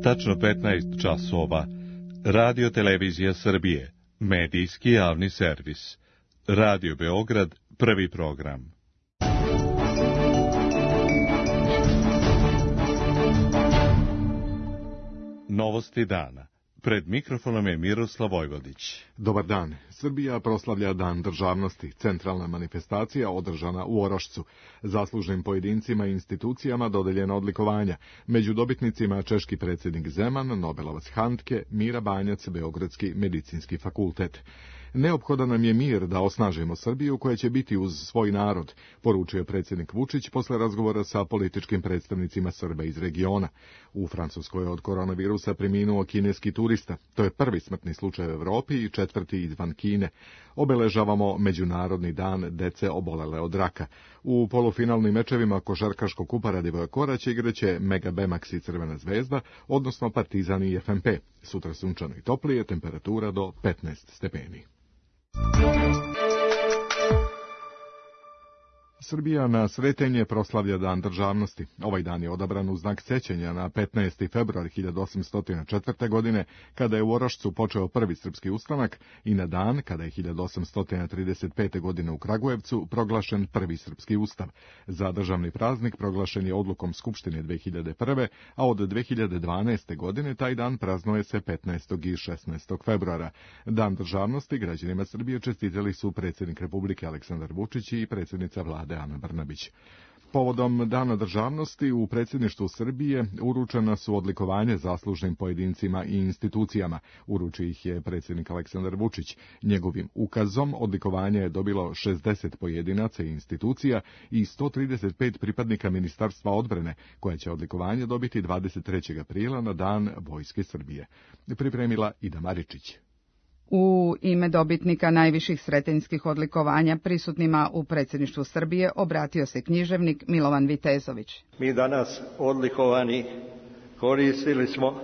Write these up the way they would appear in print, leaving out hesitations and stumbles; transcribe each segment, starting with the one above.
tačno 15 časova. Radio Televizija Srbije, medijski javni servis. Radio Beograd, prvi program. Novosti dana. Pred mikrofonom je Miroslav Vojvodić. Dobar dan. Srbija proslavlja Dan državnosti, centralna manifestacija održana u Orošcu. Zaslužnim pojedincima i institucijama dodeljena odlikovanja. Među dobitnicima češki predsjednik Zeman, Nobelovac Handke, Mira Banjac, Beogradski medicinski fakultet. Neophodan nam je mir da osnažimo Srbiju koja će biti uz svoj narod, poručio predsjednik Vučić posle razgovora sa političkim predstavnicima Srba iz regiona. U Francuskoj je od koronavirusa preminuo kineski turista. To je prvi smrtni slučaj u Evropi i četvrti izvan Kine. Obeležavamo Međunarodni dan dece obolele od raka. U polufinalnim mečevima košarkaškog kupa Radivoja Korać igraće Mega Bemax i Crvena zvezda, odnosno Partizan i FNP. Sutra sunčano i toplije, temperatura do 15 stepeni. Srbija na Sretenje proslavlja Dan državnosti. Ovaj dan je odabran u znak sećanja na 15. februar 1804. godine, kada je u Orošcu počeo prvi srpski ustanak, i na dan kada je 1835. godine u Kragujevcu proglašen prvi srpski ustav. Za državni praznik proglašen je odlukom Skupštine 2001. a od 2012. godine taj dan praznuje se 15. i 16. februara. Dan državnosti građanima Srbije čestitali su predsjednik Republike Aleksandar Vučić i predsjednica vlade Ana Brnabić. Povodom Dana državnosti u predsjedništvu Srbije uručena su odlikovanja zaslužnim pojedincima i institucijama. Uruči ih je predsjednik Aleksandar Vučić. Njegovim ukazom odlikovanje je dobilo 60 pojedinaca i institucija i 135 pripadnika Ministarstva odbrane, koja će odlikovanje dobiti 23. aprila na Dan Vojske Srbije. Pripremila Ida Maričić. U ime dobitnika najviših sretenjskih odlikovanja prisutnima u predsjedništvu Srbije obratio se književnik Milovan Vitezović. Mi danas odlikovani koristili smo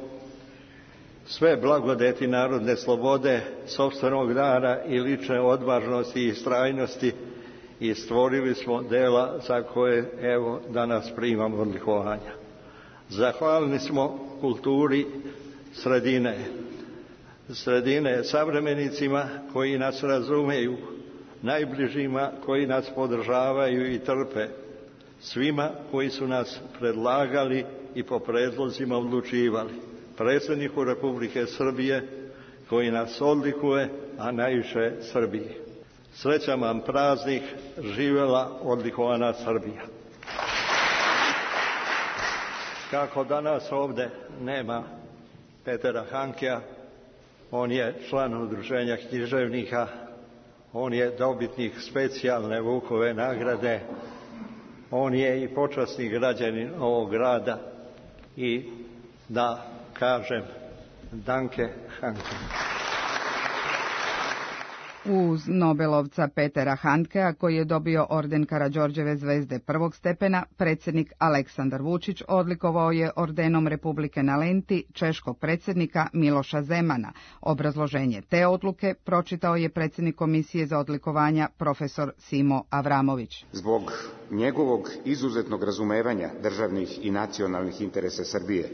sve blagodeti narodne slobode, sopstvenog rada i lične odvažnosti i istrajnosti i stvorili smo dela za koje evo danas primamo odlikovanja. Zahvalni smo kulturi sredine savremenicima koji nas razumeju, najbližima koji nas podržavaju i trpe, svima koji su nas predlagali i po predlozima odlučivali, predsjedniku Republike Srbije koji nas odlikuje, a najviše Srbiji. Srećan vam praznik, živela odlikovana Srbija. Kako danas ovde nema Petera Hankea, on je član udruženja književnika, on je dobitnik specijalne Vukove nagrade, on je i počasni građanin ovog grada i da kažem danke Hanke. Uz Nobelovca Petera Handkea, koji je dobio orden Karađorđeve zvezde prvog stepena, predsjednik Aleksandar Vučić odlikovao je ordenom Republike na lenti češkog predsjednika Miloša Zemana. Obrazloženje te odluke pročitao je predsjednik Komisije za odlikovanja profesor Simo Avramović. Zbog njegovog izuzetnog razumevanja državnih i nacionalnih interesa Srbije,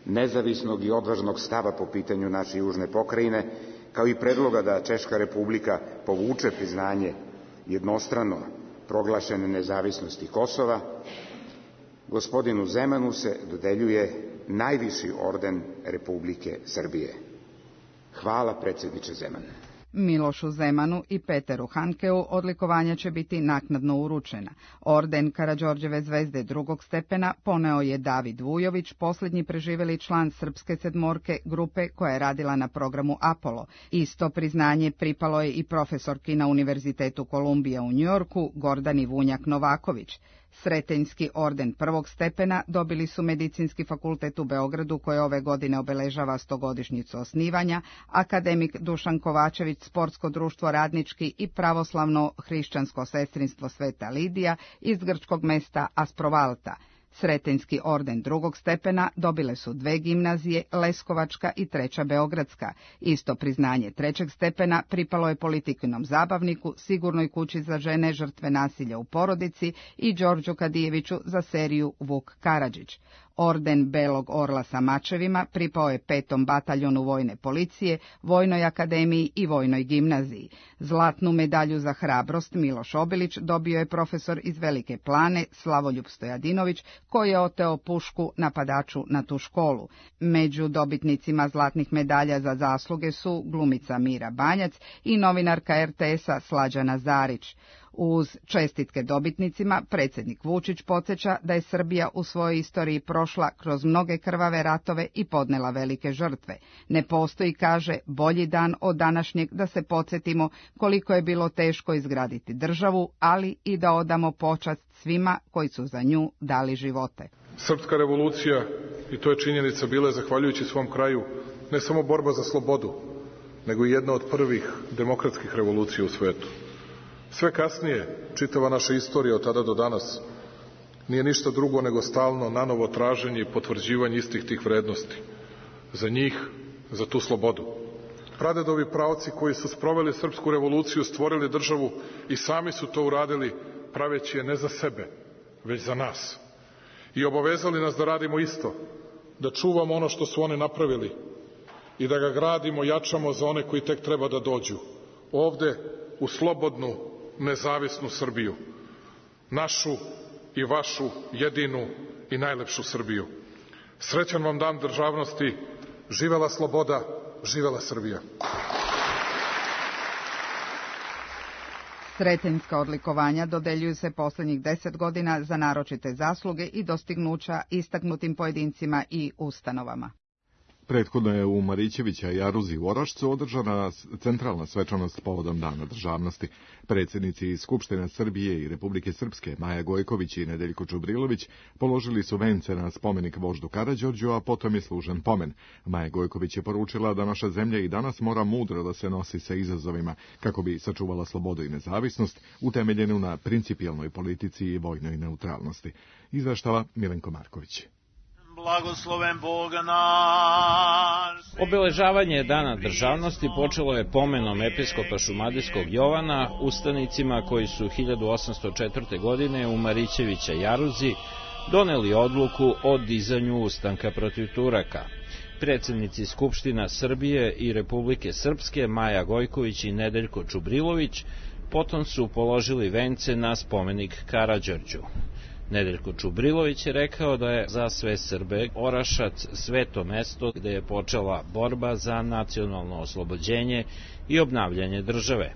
nezavisnog i odvažnog stava po pitanju naše južne pokrajine, kao i predloga da Češka Republika povuče priznanje jednostrano proglašene nezavisnosti Kosova, gospodinu Zemanu se dodeljuje najviši orden Republike Srbije. Hvala, predsjedniče Zeman. Milošu Zemanu i Peteru Hankeu odlikovanja će biti naknadno uručena. Orden Karađorđeve zvezde drugog stepena poneo je David Vujović, posljednji preživjeli član Srpske sedmorke grupe koja je radila na programu Apollo. Isto priznanje pripalo je i profesorki na Univerzitetu Kolumbija u Njujorku, Gordani Vunjak Novaković. Sretenjski orden prvog stepena dobili su Medicinski fakultet u Beogradu, koje ove godine obeležava 100-godišnjicu osnivanja, akademik Dušan Kovačević, Sportsko društvo Radnički i pravoslavno hrišćansko sestrinstvo Sveta Lidija iz grčkog mesta Asprovalta. Sretenjski orden drugog stepena dobile su dve gimnazije, Leskovačka i treća Beogradska. Isto priznanje trećeg stepena pripalo je Politikinom zabavniku, Sigurnoj kući za žene žrtve nasilja u porodici i Đorđu Kadijeviću za seriju Vuk Karadžić. Orden Belog orla sa mačevima pripao je 5. bataljonu vojne policije, Vojnoj akademiji i Vojnoj gimnaziji. Zlatnu medalju za hrabrost Miloš Obilić dobio je profesor iz Velike Plane Slavoljub Stojadinović, koji je oteo pušku napadaču na tu školu. Među dobitnicima zlatnih medalja za zasluge su glumica Mira Banjac i novinarka RTS-a Slađana Zarić. Uz čestitke dobitnicima, predsjednik Vučić podsjeća da je Srbija u svojoj istoriji prošla kroz mnoge krvave ratove i podnela velike žrtve. Ne postoji, kaže, bolji dan od današnjeg da se podsjetimo koliko je bilo teško izgraditi državu, ali i da odamo počast svima koji su za nju dali živote. Srpska revolucija, i to je činjenica, bila je, zahvaljujući svom kraju, ne samo borba za slobodu, nego i jedna od prvih demokratskih revolucija u svetu. Sve kasnije, čitava naša istorija od tada do danas, nije ništa drugo nego stalno nanovo traženje i potvrđivanje istih tih vrednosti. Za njih, za tu slobodu. Pradedovi praoci koji su sproveli srpsku revoluciju, stvorili državu i sami su to uradili, praveći je ne za sebe, već za nas. I obavezali nas da radimo isto, da čuvamo ono što su oni napravili i da ga gradimo, jačamo za one koji tek treba da dođu. Ovde, u slobodnu, nezavisnu Srbiju. Našu i vašu jedinu i najlepšu Srbiju. Srećan vam dan državnosti, živela sloboda, živela Srbija. Sretenjska odlikovanja dodeljuju se posljednjih 10 godina za naročite zasluge i dostignuća istaknutim pojedincima i ustanovama. Prethodno je u Marićevića Jaruzi u Orašcu održana centralna svečanost povodom Dana državnosti. Predsjednici Skupštine Srbije i Republike Srpske Maja Gojković i Nedeljko Čubrilović položili su vence na spomenik voždu Karađorđu, a potom je služen pomen. Maja Gojković je poručila da naša zemlja i danas mora mudro da se nosi sa izazovima kako bi sačuvala slobodu i nezavisnost, utemeljenu na principijelnoj politici i vojnoj neutralnosti. Izveštava Milenko Marković. Blagosloven Bog naš. Obeležavanje Dana državnosti počelo je pomenom episkopa šumadijskog Jovana ustanicima koji su 1804. godine u Marićevića Jaruzi doneli odluku o dizanju ustanka protiv Turaka. Predsjednici Skupština Srbije i Republike Srpske Maja Gojković i Nedeljko Čubrilović potom su položili vence na spomenik Karađorđu. Nedeljko Čubrilović je rekao da je za sve Srbe Orašac sveto mesto gde je počela borba za nacionalno oslobođenje i obnavljanje države.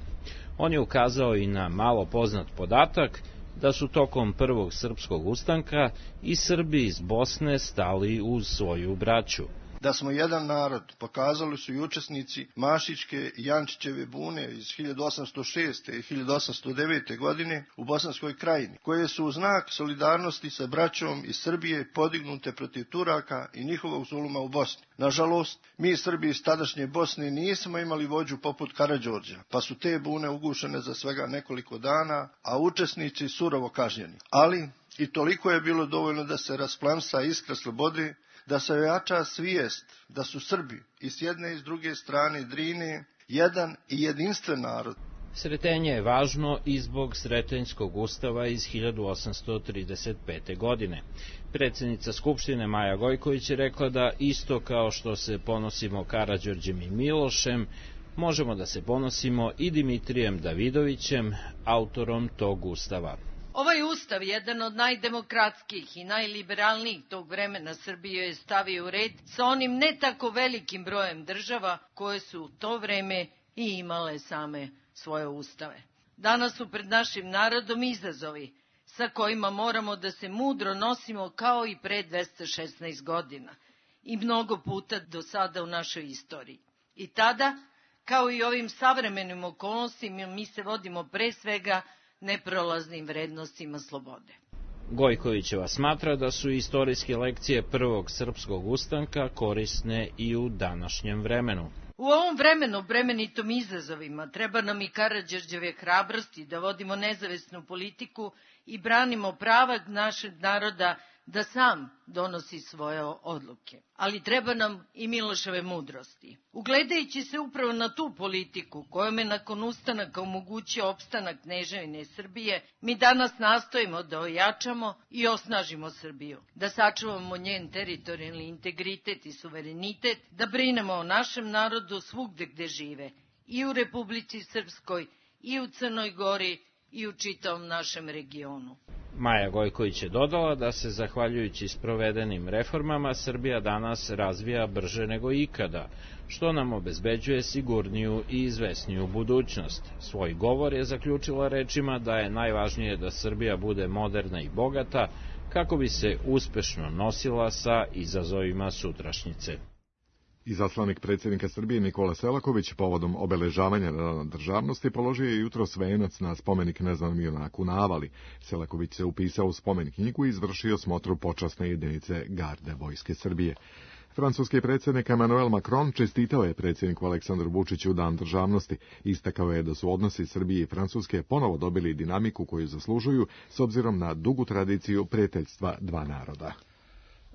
On je ukazao i na malo poznat podatak da su tokom prvog srpskog ustanka i Srbi iz Bosne stali uz svoju braću. Da smo jedan narod pokazali su i učesnici Mašićke i Jančićeve bune iz 1806. i 1809. godine u Bosanskoj krajini, koje su u znak solidarnosti sa braćom iz Srbije podignute protiv Turaka i njihovog zuluma u Bosni. Nažalost, mi Srbi iz tadašnje Bosne nismo imali vođu poput Karađorđa, pa su te bune ugušene za svega nekoliko dana, a učesnici surovo kažnjeni. Ali i toliko je bilo dovoljno da se rasplamsa iskra slobode, da se ojača svijest da su Srbi i s jedne i s druge strane Drine jedan i jedinstven narod. Sretenje je važno i zbog Sretenjskog ustava iz 1835. godine. Predsjednica Skupštine Maja Gojković je rekla da isto kao što se ponosimo Karađorđem i Milošem, možemo da se ponosimo i Dimitrijem Davidovićem, autorom tog ustava. Ovaj ustav, jedan od najdemokratskih i najliberalnijih tog vremena Srbije, je stavio u red sa onim ne tako velikim brojem država koje su u to vreme i imale same svoje ustave. Danas su pred našim narodom izazovi sa kojima moramo da se mudro nosimo kao i pre 216 godina i mnogo puta do sada u našoj istoriji. I tada, kao i ovim savremenim okolnostima, mi se vodimo pre svega neprolaznim vrednostima slobode. Gojkovićeva smatra da su istorijske lekcije prvog srpskog ustanka korisne i u današnjem vremenu. U ovom vremenu bremenitom izazovima treba nam i Karađorđeve hrabrosti da vodimo nezavisnu politiku i branimo prava našeg naroda da sam donosi svoje odluke. Ali treba nam i Miloševe mudrosti. Ugledajući se upravo na tu politiku kojom je nakon ustanaka omogućio opstanak Kneževine Srbije, mi danas nastojimo da ojačamo i osnažimo Srbiju, da sačuvamo njen teritorijalni integritet i suverenitet, da brinemo o našem narodu svugde gde žive, i u Republici Srpskoj, i u Crnoj Gori, i u čitavom našem regionu. Maja Gojković je dodala da se, zahvaljujući sprovedenim reformama, Srbija danas razvija brže nego ikada, što nam obezbeđuje sigurniju i izvesniju budućnost. Svoj govor je zaključila rečima da je najvažnije da Srbija bude moderna i bogata kako bi se uspešno nosila sa izazovima sutrašnjice. Izaslanik predsjednika Srbije Nikola Selaković povodom obeležavanja Dana državnosti položio je jutros venac na spomenik neznanom junaku na Avali. Selaković se upisao u spomen knjigu i izvršio smotru počasne jedinice garde Vojske Srbije. Francuski predsjednik Emmanuel Macron čestitao je predsjedniku Aleksandru Vučiću Dan državnosti. Istakao je da su odnosi Srbije i Francuske ponovo dobili dinamiku koju zaslužuju s obzirom na dugu tradiciju prijateljstva dva naroda.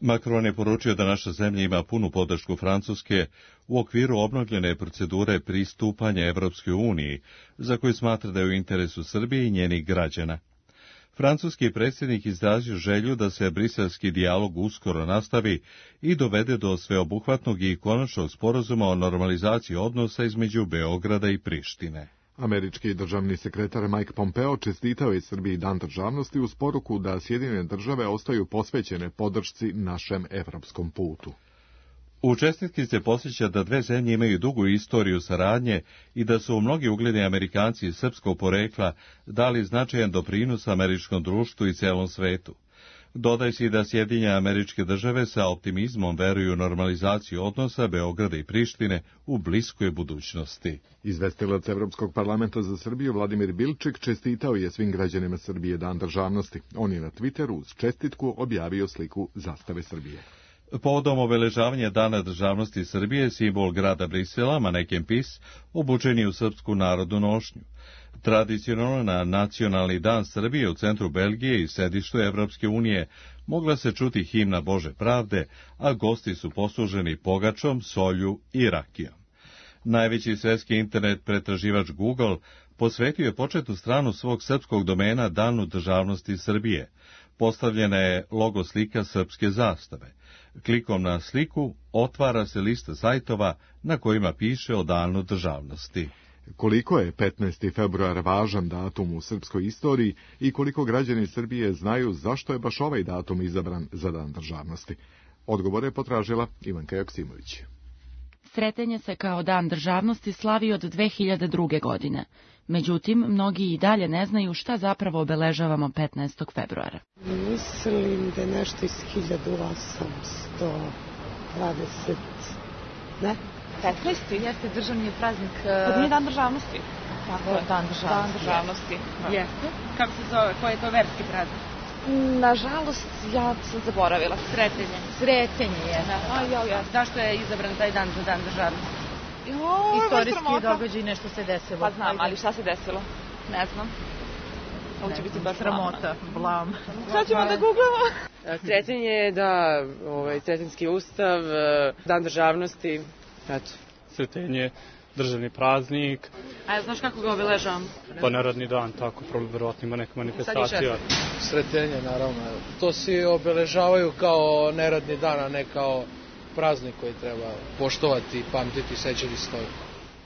Macron je poručio da naša zemlja ima punu podršku Francuske u okviru obnovljene procedure pristupanja Evropskoj uniji, za koju smatra da je u interesu Srbije i njenih građana. Francuski predsjednik izrazio želju da se briselski dijalog uskoro nastavi i dovede do sveobuhvatnog i konačnog sporazuma o normalizaciji odnosa između Beograda i Prištine. Američki državni sekretar Mike Pompeo čestitao je Srbiji Dan državnosti uz poruku da Sjedinjene države ostaju posvećene podršci našem evropskom putu. U čestitki se podsjeća da dve zemlje imaju dugu istoriju saradnje i da su mnogi ugledni Amerikanci srpskog porekla dali značajan doprinos američkom društvu i celom svetu. Dodaj se i da Sjedinjene Američke Države sa optimizmom veruju u normalizaciju odnosa Beograda i Prištine u bliskoj budućnosti. Izvestilac Evropskog parlamenta za Srbiju Vladimir Bilčik čestitao je svim građanima Srbije Dan državnosti. On je na Twitteru uz čestitku objavio sliku zastave Srbije. Povodom obeležavanja Dana državnosti Srbije, simbol grada Brisela, maneken PiS, obučen je u srpsku narodnu nošnju. Tradicionalno na Nacionalni dan Srbije u centru Belgije i sedištu Evropske unije mogla se čuti himna Bože pravde, a gosti su posluženi pogačom, solju i rakijom. Najveći svetski internet pretraživač Google posvetio je početnu stranu svog srpskog domena Danu državnosti Srbije. Postavljena je logo slika srpske zastave. Klikom na sliku otvara se lista sajtova na kojima piše o Danu državnosti. Koliko je 15. februar važan datum u srpskoj istoriji i koliko građani Srbije znaju zašto je baš ovaj datum izabran za Dan državnosti? Odgovor je potražila Ivanka Joksimović. Sretanje se kao Dan državnosti slavi od 2002. godine. Međutim, mnogi i dalje ne znaju šta zapravo obeležavamo 15. februara. Mislim da je nešto iz 1820, ne? 15. Jeste državni praznik. To nije Dan državnosti. Tako je, Dan državnosti. Jeste. Kako se zove? Koji je to verski praznik? Nažalost, ja sam zaboravila. Sretenje je. Zašto je izabran taj dan za Dan državnosti? Istorijski događaj, nešto se desilo. Pa znam, ali šta se desilo? Ne znam. Ovo će biti baš sramota, blam. Šta ćemo da googlamo? Sretenje je da, Sretenjski ustav, Dan državnosti, eto. Sretenje, državni praznik. A znaš kako ga obeležavam? Pa narodni dan, tako, verovatno ima neka manifestacija. Sretenje, naravno. To svi obeležavaju kao neradni dan, a ne kao praznik koji treba poštovati, pamtiti, sećati se toga.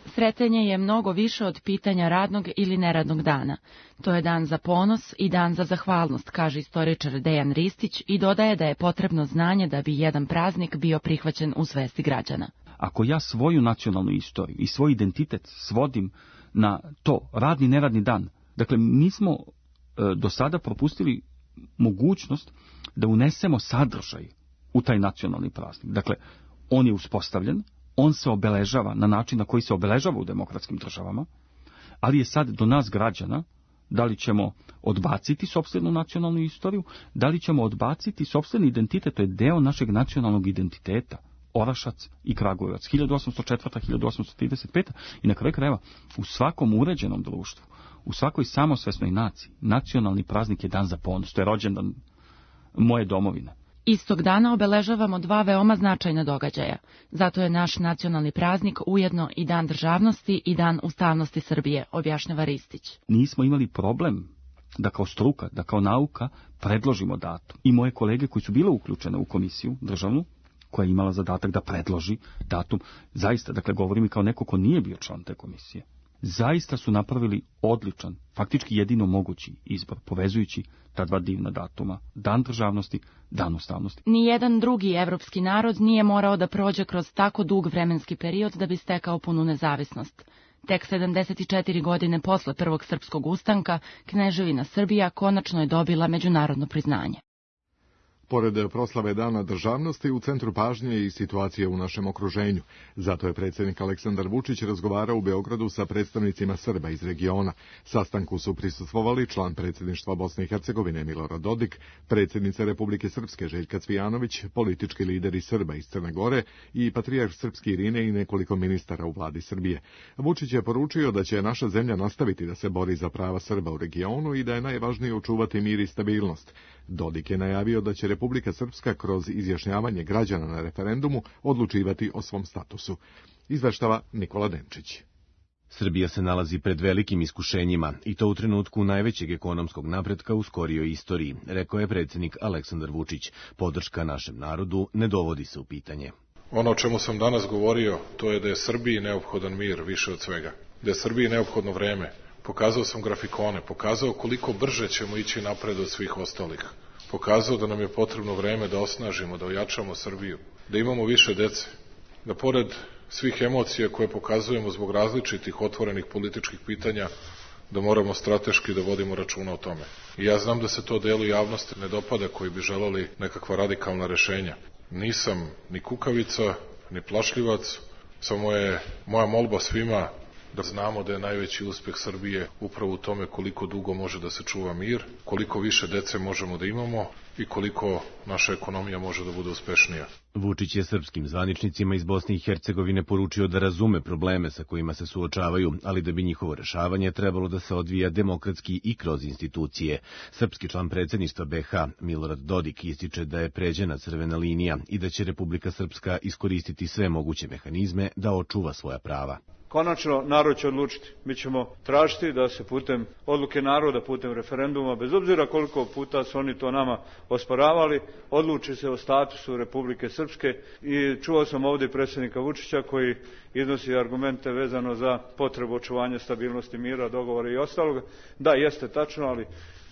Sretenje je mnogo više od pitanja radnog ili neradnog dana. To je dan za ponos i dan za zahvalnost, kaže istoričar Dejan Ristić i dodaje da je potrebno znanje da bi jedan praznik bio prihvaćen u svesti građana. Ako ja svoju nacionalnu istoriju i svoj identitet svodim na to, radni, neradni dan, dakle, mi smo do sada propustili mogućnost da unesemo sadržaj u taj nacionalni praznik. Dakle, on je uspostavljen, on se obeležava na način na koji se obeležava u demokratskim državama, ali je sad do nas građana da li ćemo odbaciti sopstvenu nacionalnu istoriju, da li ćemo odbaciti sopstveni identitet, to je deo našeg nacionalnog identiteta, Orašac i Kragujevac, 1804. 1835. I na kraju krajeva, u svakom uređenom društvu, u svakoj samosvesnoj naciji, nacionalni praznik je dan za ponos, to je rođendan moje domovine. Istog dana obeležavamo 2 veoma značajna događaja. Zato je naš nacionalni praznik ujedno i Dan državnosti i Dan ustavnosti Srbije, objašnjava Ristić. Nismo imali problem da kao struka, da kao nauka predložimo datum. I moje kolege koji su bile uključene u komisiju državnu, koja je imala zadatak da predloži datum, zaista, dakle govorim i kao neko ko nije bio član te komisije, zaista su napravili odličan, faktički jedino mogući izbor, povezujući ta 2 divna datuma, Dan državnosti, Dan ustavnosti. Nijedan drugi evropski narod nije morao da prođe kroz tako dug vremenski period da bi stekao punu nezavisnost. Tek 74 godine posle Prvog srpskog ustanka, Kneževina Srbija konačno je dobila međunarodno priznanje. Pored proslave Dana državnosti, u centru pažnje je i situacija u našem okruženju. Zato je predsjednik Aleksandar Vučić razgovarao u Beogradu sa predstavnicima Srba iz regiona. Sastanku su prisustvovali član predsjedništva Bosne i Hercegovine Milorad Dodik, predsjednica Republike Srpske Željka Cvijanović, politički lideri Srba iz Crne Gore i patrijarh srpski Irine i nekoliko ministara u vladi Srbije. Vučić je poručio da će naša zemlja nastaviti da se bori za prava Srba u regionu i da je najvažnije očuvati mir i stabilnost. Dodik je najavio da će Republika Srpska kroz izjašnjavanje građana na referendumu odlučivati o svom statusu. Izveštava Nikola Denčić. Srbija se nalazi pred velikim iskušenjima i to u trenutku najvećeg ekonomskog napretka u skorijoj istoriji, rekao je predsjednik Aleksandar Vučić. Podrška našem narodu ne dovodi se u pitanje. Ono o čemu sam danas govorio, to je da je Srbiji neophodan mir više od svega. Da je Srbiji neophodno vreme. Pokazao sam grafikone, pokazao koliko brže ćemo ići napred od svih ostalih. Pokazao da nam je potrebno vreme da osnažimo, da ojačamo Srbiju, da imamo više dece, da pored svih emocija koje pokazujemo zbog različitih otvorenih političkih pitanja, da moramo strateški da vodimo računa o tome. I ja znam da se to delu javnosti ne dopada koji bi želeli nekakva radikalna rešenja. Nisam ni kukavica, ni plašljivac, samo je moja molba svima da znamo da je najveći uspeh Srbije upravo u tome koliko dugo može da se čuva mir, koliko više dece možemo da imamo i koliko naša ekonomija može da bude uspešnija. Vučić je srpskim zvaničnicima iz Bosne i Hercegovine poručio da razume probleme sa kojima se suočavaju, ali da bi njihovo rešavanje trebalo da se odvija demokratski i kroz institucije. Srpski član predsjedništva BiH Milorad Dodik ističe da je pređena crvena linija i da će Republika Srpska iskoristiti sve moguće mehanizme da očuva svoja prava. Konačno, narod će odlučiti. Mi ćemo tražiti da se putem odluke naroda, putem referenduma, bez obzira koliko puta su oni to nama osporavali, odluči se o statusu Republike Srpske. I čuo sam ovdje predsjednika Vučića koji iznosi argumente vezano za potrebu očuvanja stabilnosti, mira, dogovora i ostalog. Da, jeste tačno, ali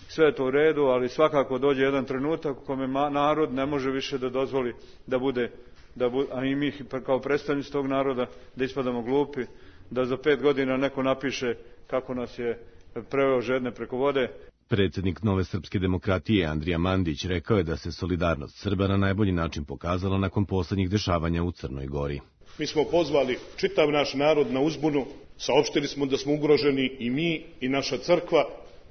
sve je to u redu, ali svakako dođe jedan trenutak u kome narod ne može više da dozvoli da bude, a i mi kao predstavnici tog naroda, da ispadamo glupi, da za 5 godina neko napiše kako nas je preveo žedne preko vode. Predsjednik Nove srpske demokratije Andrija Mandić rekao je da se solidarnost Srba na najbolji način pokazala nakon poslednjih dešavanja u Crnoj Gori. Mi smo pozvali čitav naš narod na uzbunu, saopštili smo da smo ugroženi i mi i naša crkva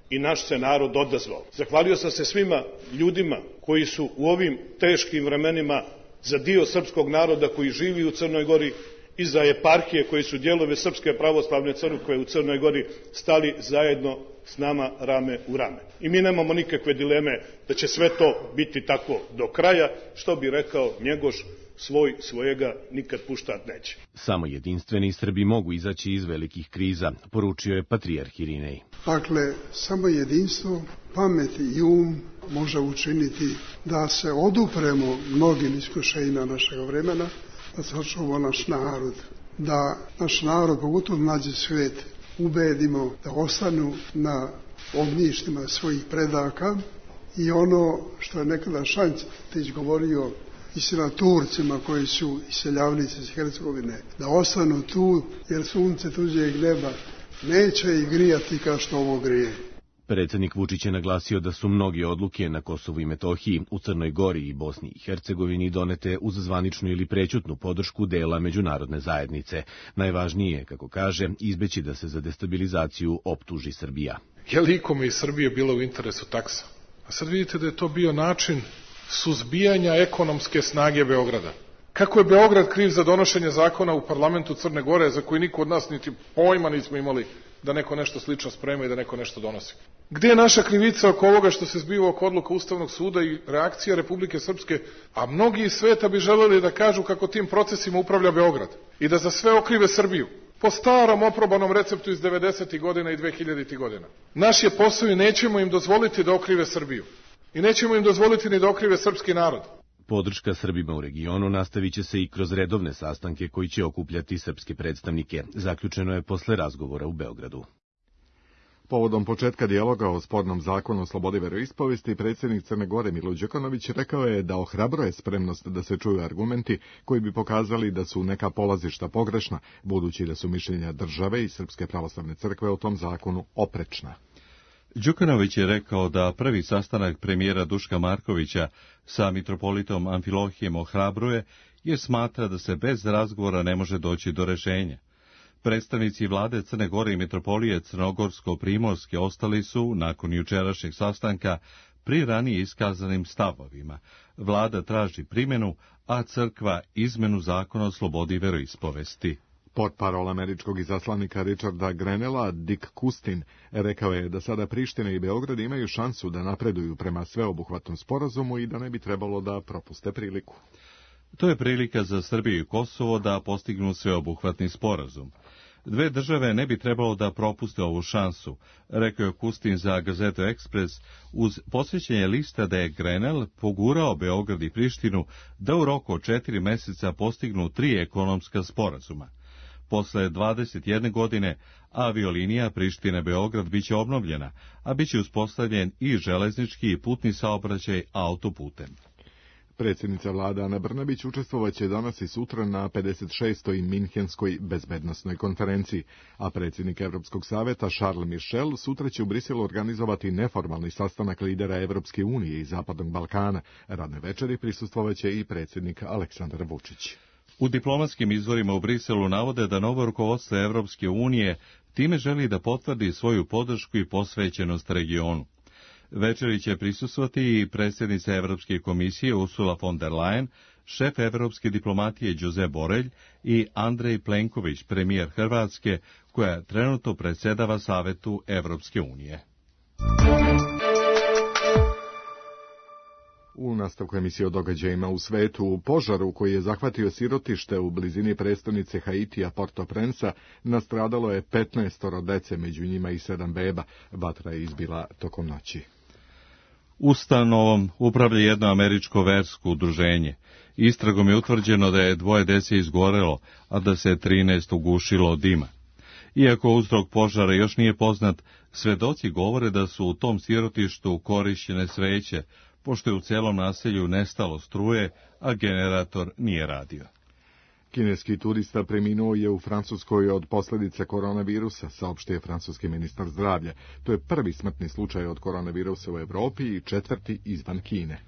i naš se narod odazvao. Zahvalio sam se svima ljudima koji su u ovim teškim vremenima za dio srpskog naroda koji živi u Crnoj Gori i za eparhije koji su dijelove Srpske pravoslavne crkve u Crnoj Gori stali zajedno s nama rame u rame. I mi nemamo nikakve dileme da će sve to biti tako do kraja, što bi rekao Njegoš, svoj svojega nikad puštat neće. Samo jedinstveni Srbi mogu izaći iz velikih kriza, poručio je patrijarh Irinej. Dakle, samo jedinstvo, pamet i um može učiniti da se odupremo mnogim iskušenjima našeg vremena, da sačuvamo naš narod, da naš narod, pogotovo mlađi svijet, ubedimo da ostanu na ognjištima svojih predaka i ono što je nekada Šantić govorio istina Turcima koji su iseljavnici iz Hercegovine, da ostanu tu jer sunce tuđeg neba neće ih grijati kao što ovo grije. Predsjednik Vučić je naglasio da su mnoge odluke na Kosovu i Metohiji, u Crnoj Gori i Bosni i Hercegovini donete uz zvaničnu ili prećutnu podršku dela međunarodne zajednice. Najvažnije je, kako kaže, izbeći da se za destabilizaciju optuži Srbija. Je li ikome iz Srbije bilo u interesu taksa? A sad vidite da je to bio način suzbijanja ekonomske snage Beograda. Kako je Beograd kriv za donošenje zakona u parlamentu Crne Gore, za koji niko od nas niti pojma nismo imali da neko nešto slično sprema i da neko nešto donosi? Gde je naša krivica oko ovoga što se zbiva oko odluka Ustavnog suda i reakcija Republike Srpske, a mnogi iz sveta bi želeli da kažu kako tim procesima upravlja Beograd i da za sve okrive Srbiju, po starom oprobanom receptu iz 90. godina i 2000. godina. Naš je posao i nećemo im dozvoliti da okrive Srbiju. I nećemo im dozvoliti ni da okrive srpski narod. Podrška Srbima u regionu nastavit će se i kroz redovne sastanke koji će okupljati srpske predstavnike. Zaključeno je posle razgovora u Beogradu. Povodom početka dijaloga o spornom zakonu o slobodi veroispovesti, predsjednik Crne Gore Milo Đukanović rekao je da ohrabruje spremnost da se čuju argumenti koji bi pokazali da su neka polazišta pogrešna, budući da su mišljenja države i Srpske pravoslavne crkve o tom zakonu oprečna. Đukanović je rekao da prvi sastanak premijera Duška Markovića sa mitropolitom Amfilohijem ohrabruje, jer smatra da se bez razgovora ne može doći do rešenja. Predstavnici vlade Crne Gore i mitropolije Crnogorsko-Primorske ostali su, nakon jučerašnjeg sastanka, pri ranije iskazanim stavovima. Vlada traži primjenu, a crkva izmenu zakona o slobodi veroispovesti. Portparol američkog izaslanika Richarda Grenella, Dick Kustin, rekao je da sada Priština i Beograd imaju šansu da napreduju prema sveobuhvatnom sporazumu i da ne bi trebalo da propuste priliku. To je prilika za Srbiju i Kosovo da postignu sveobuhvatni sporazum. Dve države ne bi trebalo da propuste ovu šansu, rekao je Kustin za gazetu Ekspres, uz posvećenje lista da je Grenell pogurao Beograd i Prištinu da u roku od 4 meseca postignu 3 ekonomska sporazuma. Posle 21 godine aviolinija Priština-Beograd biće obnovljena, a biće uspostavljen i železnički i putni saobraćaj autoputem. Predsjednica vlade Ana Brnabić učestvovaće danas i sutra na 56. Minhenskoj bezbednosnoj konferenciji, a predsjednik Evropskog saveta Charles Michel sutra će u Briselu organizovati neformalni sastanak lidera Evropske unije i Zapadnog Balkana. Radnoj večeri prisustvovaće i predsjednik Aleksandar Vučić. U diplomatskim izvorima u Briselu navode da novo rukovodstvo Evropske unije time želi da potvrdi svoju podršku i posvećenost regionu. Večeri će prisustvovati i predsjednica Evropske komisije Ursula von der Leyen, šef evropske diplomatije Josep Borrell i Andrej Plenković, premijer Hrvatske, koja trenutno predsjedava Savetu Evropske unije. U nastavku emisije o događajima u svetu, u požaru koji je zahvatio sirotište u blizini prestonice Haitija Port-au-Prince nastradalo je 15 dece, među njima i 7 beba. Vatra je izbila tokom noći. Ustanovom upravlja jedno američko versko udruženje. Istragom je utvrđeno da je 2 dece izgorelo, a da se 13 ugušilo od dima. Iako uzrok požara još nije poznat, svedoci govore da su u tom sirotištu korišćene sveće, pošto je u celom naselju nestalo struje, a generator nije radio. Kineski turista preminuo je u Francuskoj od posljedica koronavirusa, saopštio je francuski ministar zdravlja. To je prvi smrtni slučaj od koronavirusa u Evropi i 4. izvan Kine.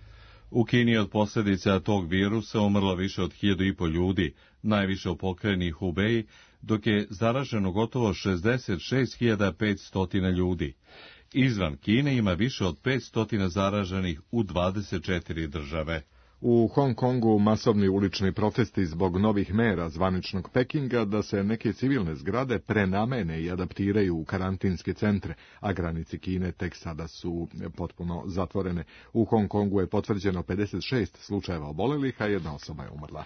U Kini je od posljedica tog virusa umrlo više od 1.500 ljudi, najviše u pokrajini Hubei, dok je zaraženo gotovo 66.500 ljudi. Izvan Kine ima više od 500 zaraženih u 24 države. U Hong Kongu masovni ulični protesti zbog novih mera zvaničnog Pekinga da se neke civilne zgrade prenamene i adaptiraju u karantinske centre, a granice Kine tek sada su potpuno zatvorene. U Hong Kongu je potvrđeno 56 slučajeva obolelih, a 1 osoba je umrla.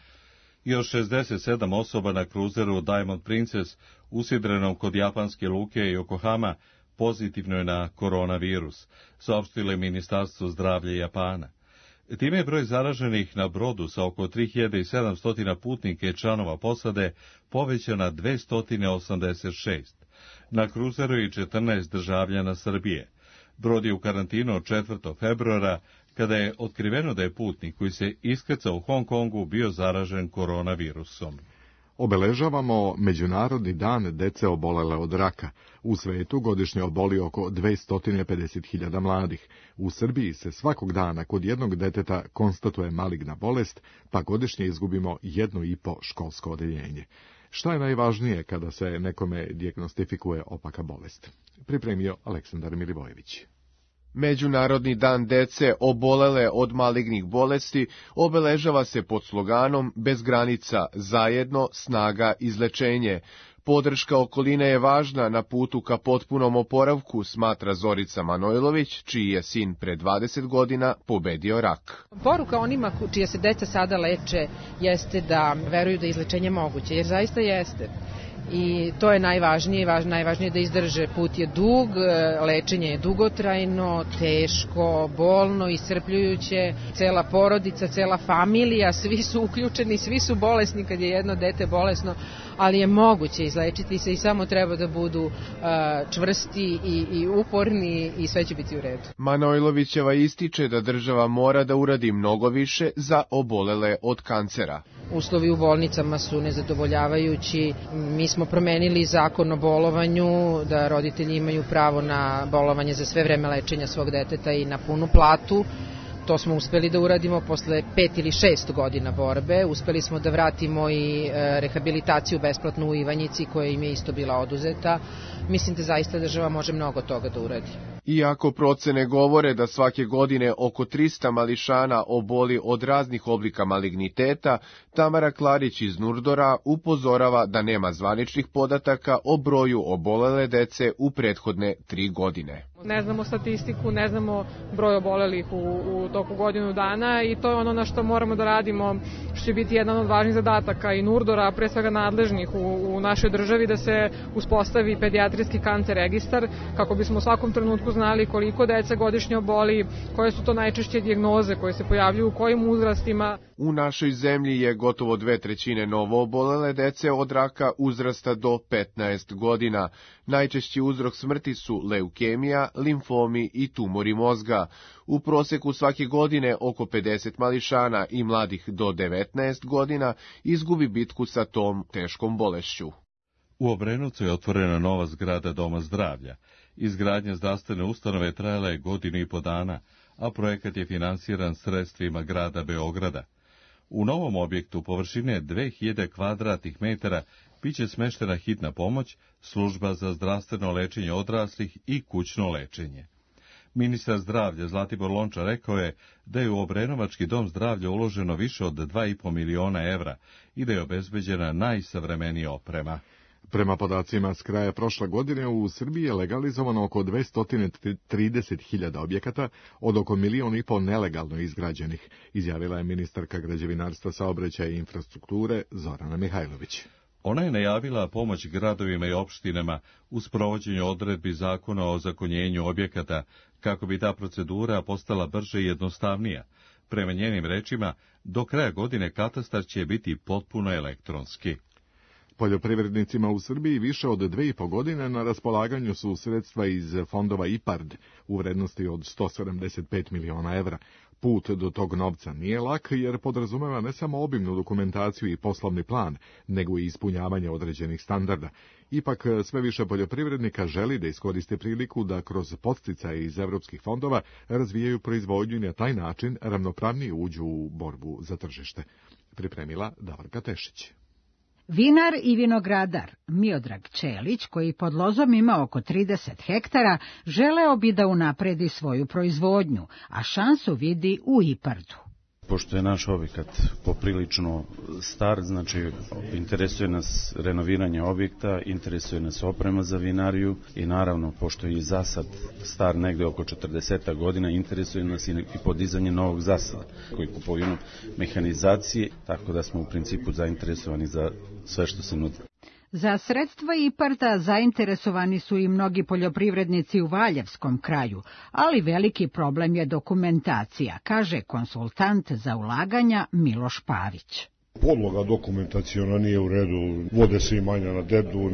Još 67 osoba na kruzeru Diamond Princess, usidrenom kod japanske luke Yokohama, pozitivno je na koronavirus, saopštilo je Ministarstvo zdravlja Japana. Time je broj zaraženih na brodu sa oko 3700 putnika i članova posade povećan na 286. Na kruzeru je 14 državljana Srbije. Brod je u karantinu od 4. februara, kada je otkriveno da je putnik koji se iskrcao u Hong Kongu bio zaražen koronavirusom. Obeležavamo Međunarodni dan dece obolele od raka. U svetu godišnje oboli oko 250.000 mladih. U Srbiji se svakog dana kod jednog deteta konstatuje maligna bolest, pa godišnje izgubimo 1,5 školsko odeljenje. Šta je najvažnije kada se nekome dijagnostifikuje opaka bolest? Pripremio Aleksandar Milivojević. Međunarodni dan dece obolele od malignih bolesti obeležava se pod sloganom Bez granica, zajedno, snaga, izlečenje. Podrška okoline je važna na putu ka potpunom oporavku, smatra Zorica Manojlović, čiji je sin pre 20 godina pobedio rak. Poruka onima čija se deca sada leče jeste da veruju da je izlečenje moguće, jer zaista jeste. I to je najvažnije, najvažnije da izdrže. Put je dug, lečenje je dugotrajno, teško, bolno, iscrpljujuće, cela porodica, cela familija, svi su uključeni, svi su bolesni kad je jedno dete bolesno, ali je moguće izlečiti se i samo treba da budu čvrsti i uporni i sve će biti u redu. Manojlovićeva ističe da država mora da uradi mnogo više za obolele od kancera. Uslovi u bolnicama su nezadovoljavajući. Mi smo promenili zakon o bolovanju, da roditelji imaju pravo na bolovanje za sve vreme lečenja svog deteta i na punu platu. To smo uspeli da uradimo posle 5 ili 6 godina borbe. Uspeli smo da vratimo i rehabilitaciju besplatnu u Ivanjici, koja im je isto bila oduzeta. Mislim da zaista država može mnogo toga da uradi. Iako procene govore da svake godine oko 300 mališana oboli od raznih oblika maligniteta, Tamara Klarić iz Nurdora upozorava da nema zvaničnih podataka o broju obolele dece u prethodne 3 godine. Ne znamo statistiku, ne znamo broj obolelih u toku godinu dana i to je ono na što moramo da radimo, što će biti jedan od važnih zadataka i Nurdora, pre svega nadležnih u našoj državi, da se uspostavi pedijatrijski kancer registar, kako bismo u svakom trenutku znali koliko dece godišnje oboli, koje su to najčešće dijagnoze koje se pojavljuju, u kojim uzrastima. U našoj zemlji je gotovo 2/3 novo obolele dece od raka uzrasta do 15 godina. Najčešći uzrok smrti su leukemija, limfomi i tumori mozga. U proseku svake godine oko 50 mališana i mladih do 19 godina izgubi bitku sa tom teškom bolešću. U Obrenovcu je otvorena nova zgrada Doma zdravlja. Izgradnja zdravstvene ustanove trajala je 1,5 godina, a projekat je finansiran sredstvima grada Beograda. U novom objektu površine 2000 kvadratnih metara biće smeštena hitna pomoć, služba za zdravstveno lečenje odraslih i kućno lečenje. Ministar zdravlja Zlatibor Lončar rekao je da je u Obrenovački dom zdravlja uloženo više od 2,5 miliona evra i da je obezbeđena najsavremenija oprema. Prema podacima s kraja prošle godine u Srbiji je legalizovano oko 230.000 objekata od oko 1,5 miliona nelegalno izgrađenih, izjavila je ministarka građevinarstva, saobraćaja i infrastrukture Zorana Mihajlović. Ona je najavila pomoć gradovima i opštinama u sprovođenju odredbi zakona o ozakonjenju objekata kako bi ta procedura postala brže i jednostavnija. Prema njenim rečima, do kraja godine katastar će biti potpuno elektronski. Poljoprivrednicima u Srbiji više od 2,5 godine na raspolaganju su sredstva iz fondova IPARD u vrednosti od 175 miliona evra. Put do tog novca nije lak jer podrazumeva ne samo obimnu dokumentaciju i poslovni plan, nego i ispunjavanje određenih standarda. Ipak sve više poljoprivrednika želi da iskoriste priliku da kroz podsticaje iz evropskih fondova razvijaju proizvodnju i na taj način ravnopravnije uđu u borbu za tržište. Pripremila Davorka Tešić. Vinar i vinogradar Miodrag Čelić, koji pod lozom ima oko 30 hektara, želeo bi da unapredi svoju proizvodnju, a šansu vidi u IPARD-u. Pošto je naš objekat poprilično star, znači interesuje nas renoviranje objekta, interesuje nas oprema za vinariju i naravno, pošto je i zasad star negde oko 40 godina, interesuje nas i podizanje novog zasada, koji kupovinu mehanizacije, tako da smo u principu zainteresovani za sve što se nudi. Za sredstva IPARD-a zainteresovani su i mnogi poljoprivrednici u Valjevskom kraju, ali veliki problem je dokumentacija, kaže konsultant za ulaganja Miloš Pavić. Podloga dokumentaciona nije u redu, vode se imanja na dedu,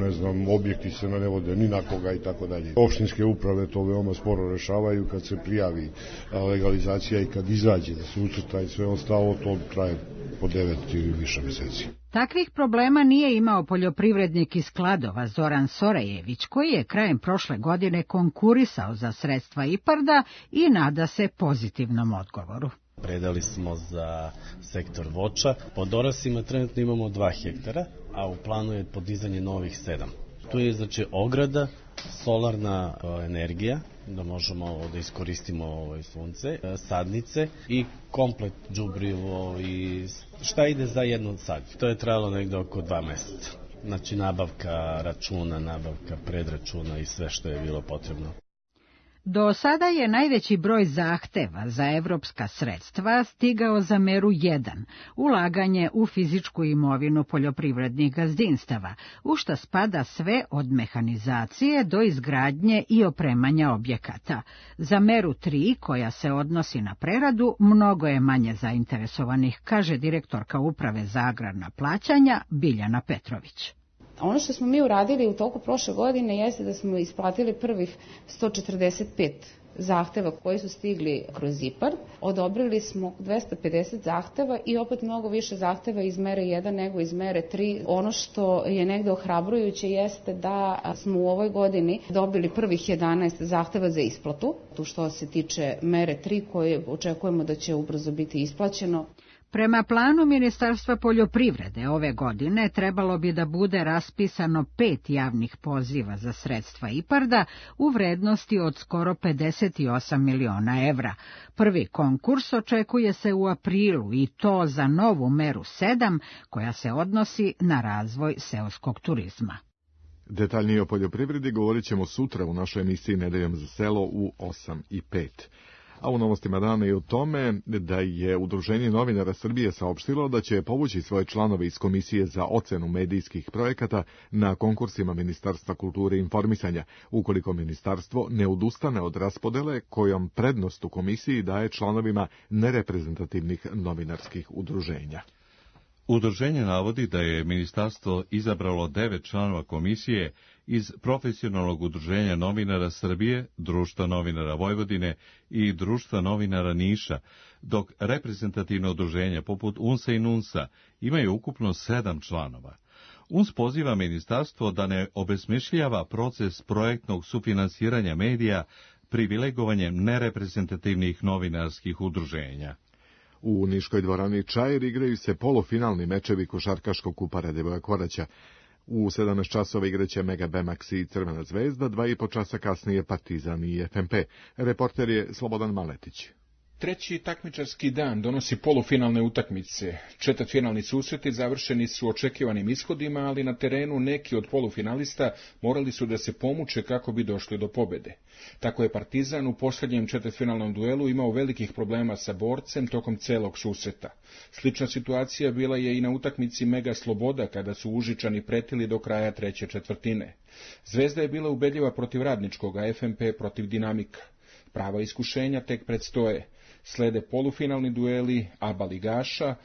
objekti se ne vode ni na koga i tako dalje. Opštinske uprave to veoma sporo rešavaju kad se prijavi legalizacija i kad izađe da se ucrta i sve ostalo, to traje po 9 ili više meseci. Takvih problema nije imao poljoprivrednik iz Kladova Zoran Sorajević, koji je krajem prošle godine konkurisao za sredstva IPARD-a i nada se pozitivnom odgovoru. Predali smo za sektor voća. Pod orasima trenutno imamo 2 hektara, a u planu je podizanje novih 7. Tu je znači ograda, solarna energija da možemo da iskoristimo sunce, sadnice i komplet đubrivo i šta ide za jednu sadnju. To je trajalo negde oko 2 meseca. Znači nabavka računa, nabavka predračuna i sve što je bilo potrebno. Do sada je najveći broj zahteva za evropska sredstva stigao za meru 1, ulaganje u fizičku imovinu poljoprivrednih gazdinstava, u šta spada sve od mehanizacije do izgradnje i opremanja objekata. Za meru 3, koja se odnosi na preradu, mnogo je manje zainteresovanih, kaže direktorka Uprave za agrarna plaćanja Biljana Petrović. Ono što smo mi uradili u toku prošle godine jeste da smo isplatili prvih 145 zahteva koji su stigli kroz IPARD. Odobrili smo 250 zahteva i opet mnogo više zahteva iz mere 1 nego iz mere 3. Ono što je negde ohrabrujuće jeste da smo u ovoj godini dobili prvih 11 zahteva za isplatu, tu što se tiče mere 3 koje očekujemo da će ubrzo biti isplaćeno. Prema planu Ministarstva poljoprivrede ove godine trebalo bi da bude raspisano 5 javnih poziva za sredstva IPARD-a u vrednosti od skoro 58 miliona evra. Prvi konkurs očekuje se u aprilu i to za novu meru 7 koja se odnosi na razvoj seoskog turizma. Detaljnije o poljoprivredi govorit ćemo sutra u našoj emisiji Nedeljom za selo u 8:05. A u novostima dana i o tome da je Udruženje novinara Srbije saopštilo da će povući svoje članove iz Komisije za ocenu medijskih projekata na konkursima Ministarstva kulture i informisanja, ukoliko ministarstvo ne odustane od raspodele kojom prednost u komisiji daje članovima nereprezentativnih novinarskih udruženja. Udruženje navodi da je ministarstvo izabralo 9 članova komisije iz Profesionalnog udruženja novinara Srbije, Društva novinara Vojvodine i Društva novinara Niša, dok reprezentativno udruženja poput UNS-a i NUNS-a imaju ukupno 7 članova. UNS poziva ministarstvo da ne obesmišljava proces projektnog sufinansiranja medija privilegovanjem nereprezentativnih novinarskih udruženja. U Niškoj dvorani Čair igraju se polufinalni mečevi košarkaškog kupa Radivoja Koraća. U 17 časova igraće Mega Bemax i Crvena zvezda, 2,5 časa kasnije Partizan i FNP. Reporter je Slobodan Maletić. Treći takmičarski dan donosi polufinalne utakmice. Četvrtfinalni susreti završeni su očekivanim ishodima, ali na terenu neki od polufinalista morali su da se pomuče kako bi došli do pobede. Tako je Partizan u posljednjem četvrtfinalnom duelu imao velikih problema sa Borcem tokom celog susreta. Slična situacija bila je i na utakmici Mega Sloboda kada su Užičani pretili do kraja treće četvrtine. Zvezda je bila ubedljiva protiv Radničkog, a FNP protiv Dinamika. Prava iskušenja tek predstoje. Slede polufinalni dueli ABA ligaša,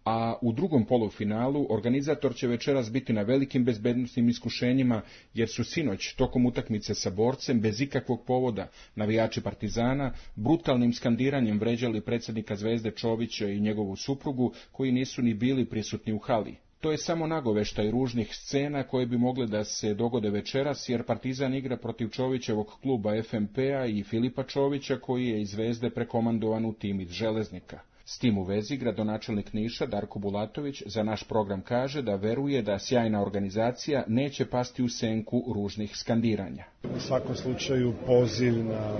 a u drugom polufinalu organizator će večeras biti na velikim bezbednosnim iskušenjima, jer su sinoć tokom utakmice sa Borcem bez ikakvog povoda navijači Partizana brutalnim skandiranjem vređali predsjednika Zvezde Čovića i njegovu suprugu, koji nisu ni bili prisutni u hali. To je samo nagoveštaj ružnih scena koje bi mogle da se dogode večeras, jer Partizan igra protiv Čovićevog kluba FNP-a i Filipa Čovića, koji je iz Zvezde prekomandovan u tim iz Železnika. S tim u vezi gradonačelnik Niša Darko Bulatović za naš program kaže da veruje da sjajna organizacija neće pasti u senku ružnih skandiranja. U svakom slučaju poziv na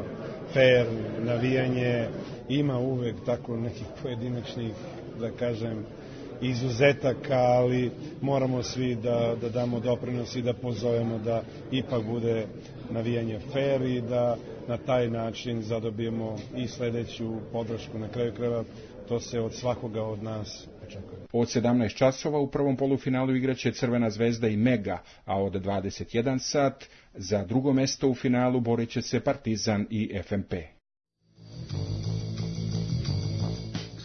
fair navijanje, ima uvek tako nekih pojedinačnih, da kažem, izuzetaka, ali moramo svi da damo doprinos i da pozovemo da ipak bude navijanje fair i da na taj način zadobijemo i sledeću podršku. Na kraju krajeva to se od svakoga od nas očekuje. Od 17 časova u prvom polufinalu igraće Crvena zvezda i Mega, a od 21 sat za drugo mesto u finalu borit će se Partizan i FNP.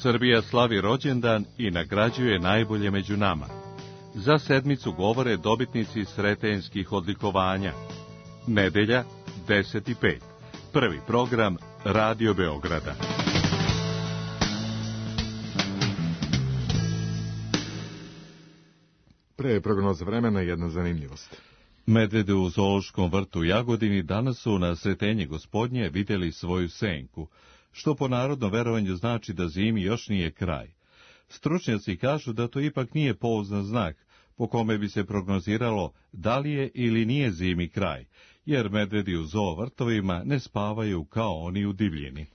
Srbija slavi rođendan i nagrađuje najbolje među nama. Za sedmicu govore dobitnici sretenjskih odlikovanja. Nedelja, 10:05. Prvi program Radio Beograda. Pre prognoza vremena jedna zanimljivost. Medvede u zoološkom vrtu u Jagodini danas su na Sretenje Gospodnje vidjeli svoju senku, što po narodnom verovanju znači da zimi još nije kraj. Stručnjaci kažu da to ipak nije pouzdan znak po kome bi se prognoziralo da li je ili nije zimi kraj, jer medvedi u zoo vrtovima ne spavaju kao oni u divljini.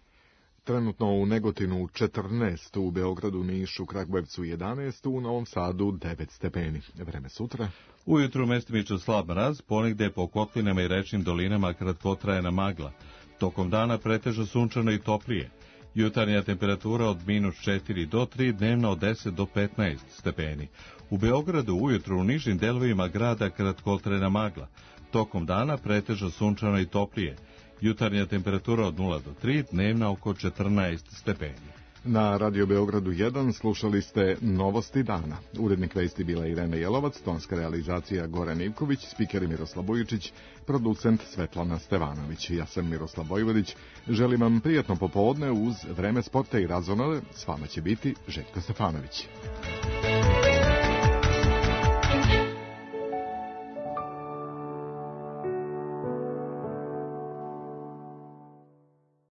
Trenutno u Negotinu 14, u Beogradu, Nišu, Kragujevcu 11, u Novom Sadu 9 stepeni. Vreme sutra. Ujutru mestimično slab mraz, ponegde po kotlinama i rečnim dolinama kratkotrajna magla. Tokom dana pretežno sunčano i toplije. Jutarnja temperatura od -4 do 3, dnevna od 10 do 15 stepeni. U Beogradu ujutru u nižim delovima grada kratkotrajna magla. Tokom dana pretežno sunčano i toplije. Jutarnja temperatura od 0 do 3, dnevna oko 14 stepeni. Na Radio Beogradu 1 slušali ste Novosti dana. Urednik vesti bila Irena Jelovac, tonska realizacija Goran Ivković, spiker Miroslav Bojičić, producent Svetlana Stevanović. Ja sam Miroslav Vojvodić. Želim vam prijatno popodne uz vreme sporta i razonode. S vama će biti Željko Stefanović.